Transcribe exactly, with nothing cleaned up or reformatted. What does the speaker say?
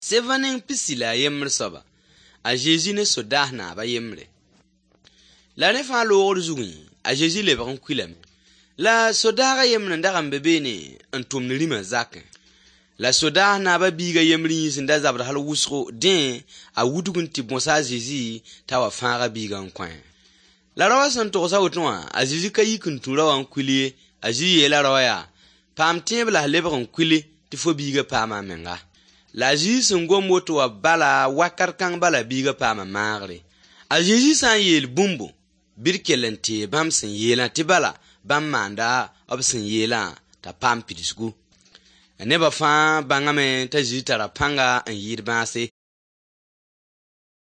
Sevã neng pisi la a yembr soaba, a Zezi ne sodaas naab a yembre. La rẽ fãa loogr zugẽ, a Zezi lebg n kuilame. La sodaag a yembr n dag n be beene n tʋmd rĩmã zakẽ. La sodaas naab a biig a yembr yĩns n da zabd hal wʋsgo, dẽ a wudg n tɩ bõs a Zezi t'a wa fãag a biigã n kõ-a. La raoã sẽn togs a woto wã, a Zezi ka yik n tũ raowã n kuil ye. A Zezi yeela raowã yaa: paam tẽeb la f lebg n kuili tɩ fo biigã paama a menga. La a Zezi sẽn gom woto wã bala wakat kãng bala biigã paama maagre. A Zezi sã n yeel bũmbu, bɩ d kell n tee bãmb sẽn yeelã tɩ bala bãmb maanda b sẽn yeelã t'a paam pidsgu. Nebã fãa bãngame t'a Zezi tara pãnga n yɩɩd bãase.